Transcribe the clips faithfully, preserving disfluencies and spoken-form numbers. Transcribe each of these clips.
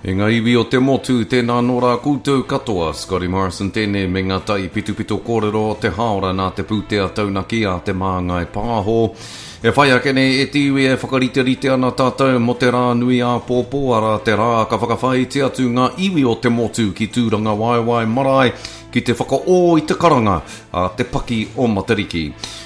E ngā iwi o te motu, tēnā nō rā koutou katoa, Scotty Morrison tēnei me ngā tai pitupito kōrero o te haora nā te pūtea taunaki a Te Māngai Pāho. E whai ake nei e te iwi e whakariterite ana tātou mō te rā nui āpōpō, arā te rā ka whakawhāiti atu ngā iwi o te motu ki Tūrangawaewae marae ki te whakaō i te karanga a te paki o Matariki.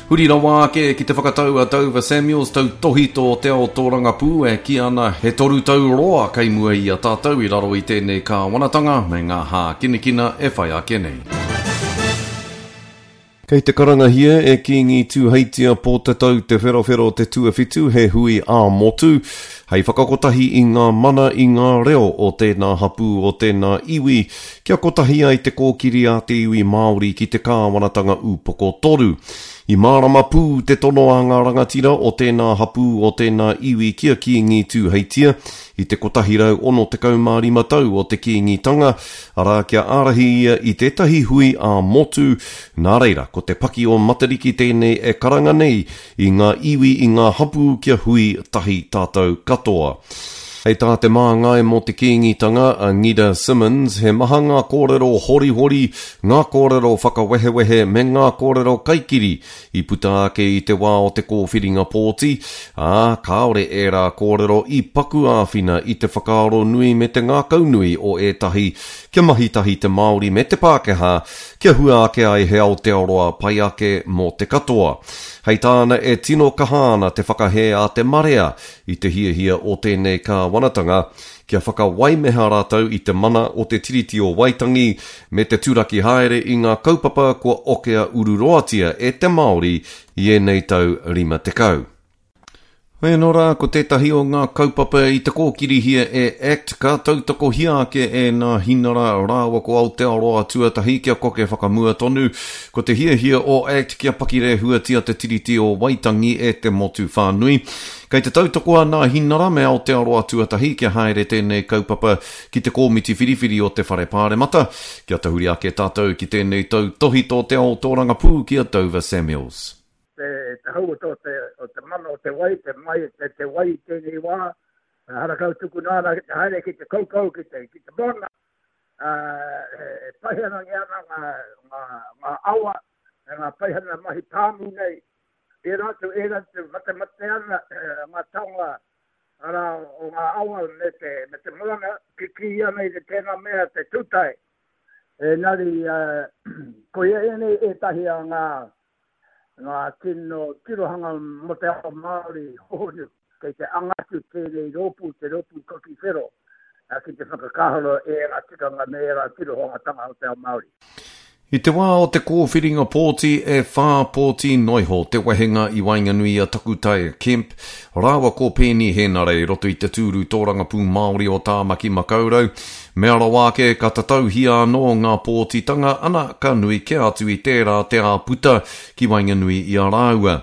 Huri rawa ake ki te whakatau a Dover Samuels tautohito o te ao tōrangapū e kī ana he toru tau roa kei mua i a tātou i raro i tēnei kāwanatanga me ngā hākinakina e whai ake nei. Kei te karangahia e Kīngi Tūheitia Pōtatau Te Wherowhero Te Tuawhitu he hui ā-motu hei whakakotahi i ngā mana i ngā reo o tēnā hapū o tēnā iwi kia kotahi ai te kōkiri a te iwi Māori ki te kāwanatanga upoko toru. I mārama pū te tono a ngā rangatira o tēnā hapū o tēnā iwi ki a Kīngi Tūheitia i te kotahi rau ono tekau mā rima tau o te Kīngitanga, arā kia ārahi ia i tētahi hui ā-motu. Nā reira, ko te paki o Matariki tēnei e karanga nei i ngā iwi i ngā hapū kia hui tahi tātou katoa. Hei tā te māngai mō te Kīngitanga a Ngida Simmons, he maha ngā kōrero horihori, ngā kōrero whakawehewehe me ngā kōrero kaikiri i puta ake i te wā o te kōwhiringa pōti, ā, kāore ērā kōrero i paku āwhina i te whakaaro nui me te ngākaunui o ētahi kia mahi tahi te Māori me te Pākehā kia hua ake ai he Aotearoa pai ake mō te katoa. Hei tāna e tino kaha ana te whakahē a te marea i te hiahia o tēnei kāwanatanga kia whakawaimeha rātou i te mana o te Tiriti o Waitangi me te turaki haere i ngā kaupapa kua okea ururoatia e te Māori i ēnei tau rima tekau. Hoi anō rā, ko tētahi o ngā kaupapa i te kōkirihia e ACT ka tautokohia ake e nā Hinara rāua ko Aotearoa tuatahi kia koke whakamua tonu. Ko te hiahia o ACT kia pakirehuatia te Tiriti o Waitangi e te motu whānui. Kei te tautoko a nā Hinara me Aotearoa tuatahi kia haere tēnei kaupapa ki te kōmiti whiriwhiri o te Whare Pāremata. Kia tahuri ake tātou ki tēnei tautohito te ao tōrangapū ki a Dover Samuels. Te, te hau o te, o te mana o te wai, te mai, te, te wai i tēnei wā, harakau tukuna ana ki te haere ki te kaukau, ki te, ki te moana, e paihana ngi ana ngā, ngā, ngā awa, e ngā paihana mahi pāmu nei, e rātou, e rātou, mate mate ana ngā taonga arā o ngā awa me te, me te moana, kiki ana i te tēnā mea te tūtai. Engari, koia ēnei ētahi a ngā ngā tino tirohanga mō te ao Māori hohonu, kei te anga atu tēnei rōpū, te rōpū kaki whero, ki te whakakāhoro e ērā tikanga me ērā tirohangatanga o te ao Māori. I te wā o te kōwhiringa pōti e whā pōti noiho te wehenga i waenganui i a Takutai Kemp rāua ko Peeni Henare i roto i te tūru tōrangapū Māori o Tāmaki Makaurau. Mea rawa ake ka tatauhia anō ngā pōtitanga ana ka nui kē atu i tērā te āputa ki waenganui i a rāua.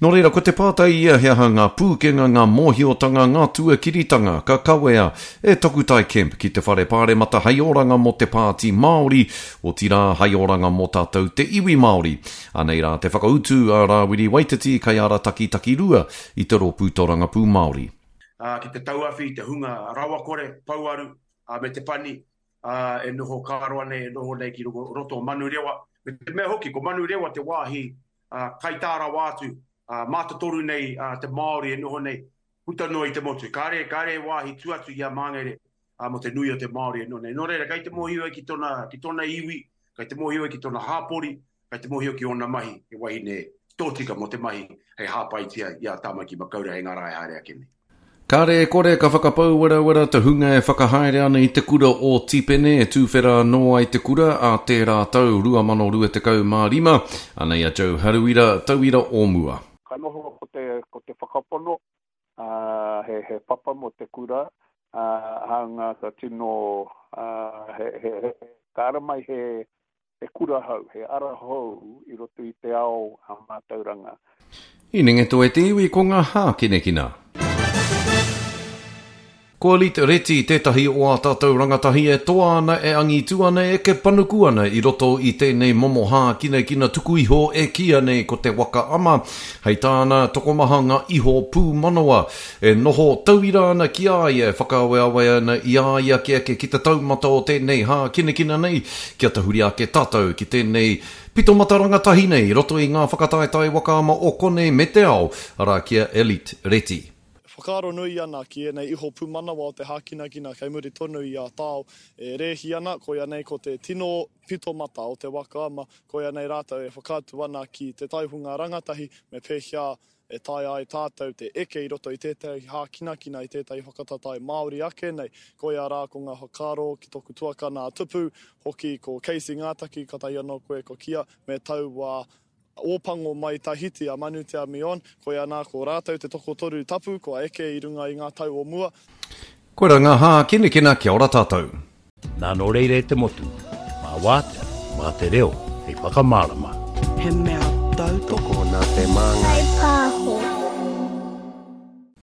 Nō reira, ko te pātai ia he aha ngā pūkenga, ngā mōhiotanga, ngā tuakiritanga ka kawea e Takutai Kemp ki te Whare Pāremata hei oranga mō te Pāti Māori, otirā hei oranga mō tātou te iwi Māori. Anei rā te whakautu a Rāwiri Waititi kaiārataki takirua i te rōpū tōrangapū Māori. Uh, ki te tauawhi, te hunga rawakore, pouaru, uh, me te pani, uh, e noho kāroa nei, e noho nei ki roto o Manurewa. Me te mea hoki, ko Manurewa te wāhi uh, kaitā rawa atu, uh, mātotoru nei uh, te Māori e noho nei, puta noa i te motu. Kāre, kāre e wāhi tu atu i a Māngere uh, mo te nui o te Māori e noho nei. Nō reira, kei te mōhio ai ki tōna, ki tōna iwi, kei te mōhio ai ki tōna hāpori, kei te mōhio ki ōna mahi, he wahine tōtika mō te mahi hei hāpaitia i a Tāmaki Makaurau hei ngā rā e haere ake nei. Kāre e kore ka whakapau werawera te hunga e whakahaere ana i te kura o Tipene e tūwhera anō ai te kura a tērā tau rua mano rua tekau mā rima. Anei a Joe Haruira, tauira o mua. Ka noho ko te, ko te whakapono, uh, he, he papa mō te kura, uh, hāunga ka tino, uh, he, he, he, ka ara mai he, he kura hou, he ara hou i roto i te ao a mātauranga. I nenge toe te iwi ko ngā hākinakina. Ko Elite Reti tētahi o ā tātou rangatahi e toa ana, e angitu ana, e eke panuku ana i roto i tēnei momo hākinakina tuku iho e kīia nei ko te waka ama. Hei tāna, tokomaha ngā iho pūmanawa e noho tauira ana ki a ia, e whakaaweawe ana i a ia kia eke ki te taumata o tēnei hākinakina nei, kia tahuri ake tātou ki tēnei pitomata rangatahi nei i roto i ngā whakataetae waka ama o konei me te ao, arā ki a Elite Reti. Whakaaro nui ana ki ēnei iho pūmanawa o te hākinakina kei muri tonu i a Tao e rēhi ana, koia nei ko te tino pito mata o te waka ama, koia nei rātou e whakaatu ana ki te taihunga rangatahi me pēhea e taea ai tātou te eke i roto i tētahi hākinakina, i tētahi whakatatae Māori ake nei. Koia rā ko ngā whakaaro ki toku tuakana a Tupu, hoki ko Casey Ngātaki, katahi anō koe ko Kia, me taua Ōpango mai Tahiti a Manutea Mion, koia nā ko rātou te tokotoru tapu kua eke i runga i ngā tau o mua. Koira ngā hākinakina, kia ora tātou. Nā nō reira e te motu, mā wātea, mā te reo hei whakamārama. He mea tautoko. Tokona te māngai.